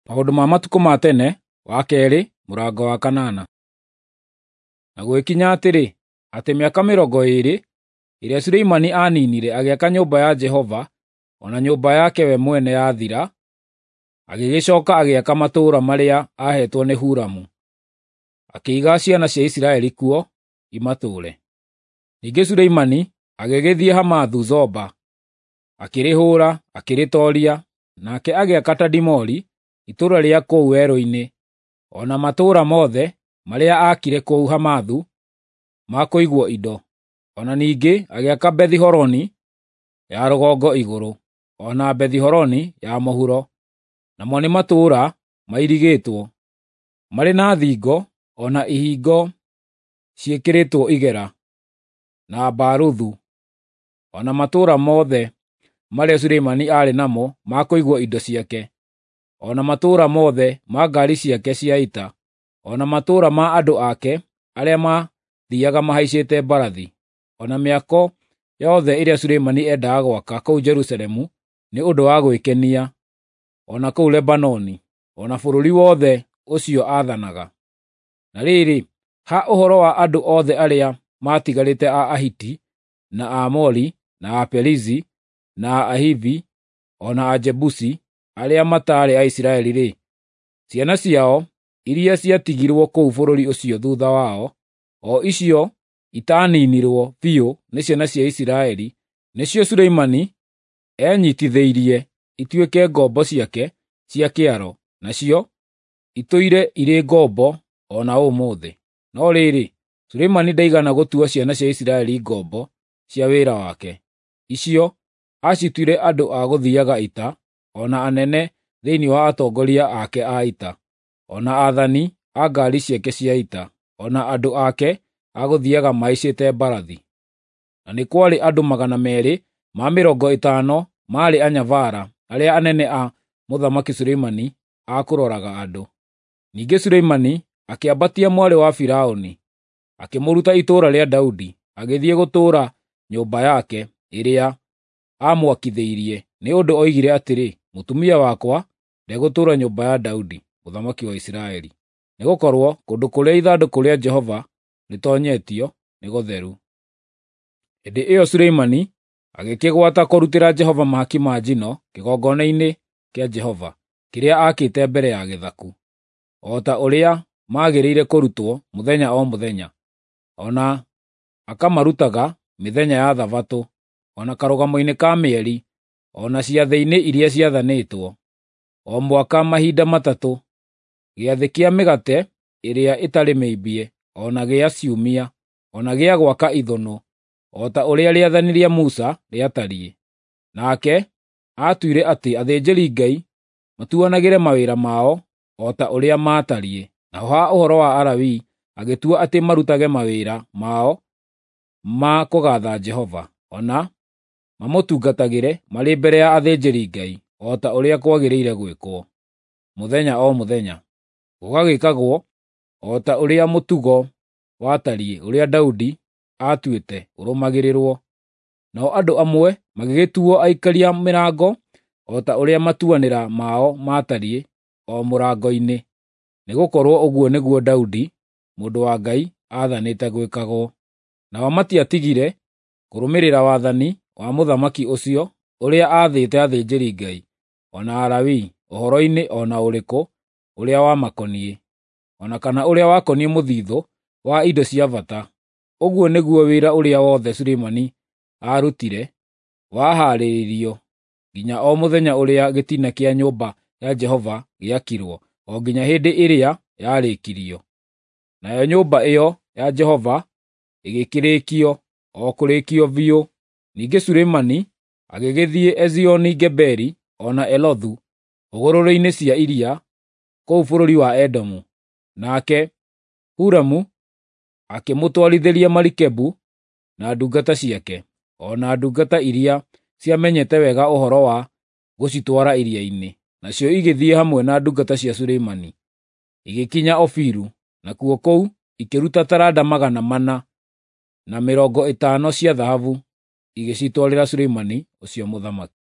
Maũndũ ma matukũ ma tene wa kerĩ mũrango wa kanana. Na gũgĩkinya atĩrĩ, atĩ mĩaka 20 ĩrĩa Suleimani aaninire agĩaka nyũmba ya Jehova o na nyũmba yake we mwene yathira, agĩgĩcoka agĩaka matũũra marĩa aaheetwo nĩ Huramu, akĩiga ciana cia Isiraeli kuo imatũũre. Ningĩ Suleimani agĩgĩthiĩ Hamathu-Zoba, akĩrĩhũũra, akĩrĩtooria, nake agĩaka Tadimori itũũra rĩa kũu werũ-inĩ, o na matũũra mothe marĩa aakire kũu Hamathu ma kũigwo indo. O na ningĩ agĩaka Bethi-Horoni ya rũgongo igũrũ, o na Bethi-Horoni ya mũhuro, namo nĩ matũũra mairigĩtwo, marĩ na thingo o na ihingo ciĩkĩrĩtwo igera, na mbaruthu, o na matũũra mothe marĩa Suleimani aarĩ namo ma kũigwo indo ciake, o na matũũra mothe ma ngaari ciake cia ita, o na matũũra ma andũ ake arĩa maathiiaga mahaicĩte mbarathi, o na mĩako yothe ĩrĩa Suleimani endaga gwaka kũu Jerusalemu nĩ ũndũ wa gwĩkenia, o na kũu Lebanoni, o na bũrũri wothe ũcio aathanaga. Na rĩrĩ, ha ũhoro wa andũ othe arĩa maatigarĩte a Ahiti, na Aamori, na Aperizi, na Ahivi, o na Ajebusi, arĩa mataarĩ Aisiraeli-rĩ, ciana ciao iria ciatigirwo kũu bũrũri ũcio thuutha wao, o icio itaaninirwo biũ nĩ ciana cia Isiraeli, nĩcio Suleimani eenyiitithĩirie ituĩke ngombo ciake cia kĩaro, nacio itũire irĩ ngombo o na ũmũthĩ. No rĩrĩ, Suleimani ndaigana gũtua ciana cia Isiraeli ngombo cia wĩra wake. Icio aacituire andũ a gũthiiaga ita, o na anene thĩinĩ wa atongoria ake a ita, o na aathani a ngaari ciake cia ita, o na andũ ake a gũthiiaga mahaicĩte mbarathi. Na nĩ kwarĩ andũ 250 maarĩ anyabara arĩa anene a Mũthamaki Suleimani a kũroraga andũ. Ningĩ Suleimani akĩambatia mwarĩ wa Firaũni, akĩmũruta itũũra rĩa Daudi, agĩthiĩ gũtũũra nyũmba yake ĩrĩa aamwakithĩirie, nĩ ũndũ oigire atĩrĩ, “Mũtumia wakwa ndegũtũũra nyũmba ya Daudi, mũthamaki wa Isiraeli, nĩgũkorwo kũndũ kũrĩa ithandũkũ rĩa Jehova rĩtoonyetio nĩ gũtheru.” Hĩndĩ ĩyo Suleimani agĩkĩgwata kũrutĩra Jehova mahaki ma njino kĩgongona-inĩ kĩa Jehova, kĩrĩa aakĩte mbere ya gĩthaku, o ta ũrĩa maagĩrĩire kũrutwo mũthenya o mũthenya, o na akamarutaga mĩthenya ya Thabatũ, o na karũgamo-inĩ ka mĩeri, o na ciathĩ-inĩ iria ciathanĩtwo, o mwaka mahinda matatũ, gĩathĩ kĩa mĩgate ĩrĩa ĩtarĩ mĩimbie, o na gĩa ciumia, o na gĩa gwaka ithũnũ, o ta ũrĩa rĩathani rĩa Musa rĩatariĩ. Nake aatuire atĩ athĩnjĩri-Ngai matuanagĩre mawĩra mao o ta ũrĩa maatariĩ. Naho ha ũhoro wa Alawii agĩtua atĩ marutage mawĩra mao ma kũgaatha Jehova, o na mamũtungatagĩre marĩ mbere ya athĩnjĩri-Ngai, o ta ũrĩa kwagĩrĩire gwĩkwo, mũthenya o mũthenya, gũgagĩkagwo o ta ũrĩa mũtugo watariĩ ũrĩa Daudi aatuĩte ũrũmagĩrĩrwo. Nao andũ amwe magĩgĩtuo aikaria mĩrango o ta ũrĩa matuanĩra mao maatariĩ o mũrango-inĩ, nĩgũkorwo ũguo nĩguo Daudi mũndũ wa Ngai aathanĩte gwĩkagwo. Nao matiatigire kũrũmĩrĩra wathani wa mũthamaki ũcio ũrĩa aathĩte athĩnjĩri-Ngai o na Alawii ũhoro-inĩ o na ũrĩkũ ũrĩa wamakoniĩ, o na kana ũrĩa wakoniĩ mũthithũ wa indo cia bata. Ũguo nĩguo wĩra ũrĩa wothe Suleimani aarutire wahaarĩirio nginya o mũthenya ũrĩa gĩtina kĩa nyũmba ya Jehova gĩakirwo, o nginya hĩndĩ ĩrĩa yarĩkirio. Nayo nyũmba ĩyo ya Jehova ĩgĩkĩrĩkio, o kũrĩkio biũ. Ningĩ Suleimani agĩgĩthiĩ Ezioni-Geberi o na Elothu hũgũrũrũ-inĩ cia iria kũu bũrũri wa Edomu. Nake Huramu akĩmũtwarithĩria marikabu na ndungata ciake, o na ndungata iria ciamenyete wega ũhoro wa gũcitwara iria-inĩ. Nacio igĩthiĩ hamwe na ndungata cia Suleimani, igĩkinya Ofiru, nakuo kũu ikĩruta taranda 450 cia thahabu igĩcitwarĩra Suleimani ũcio mũthamaki.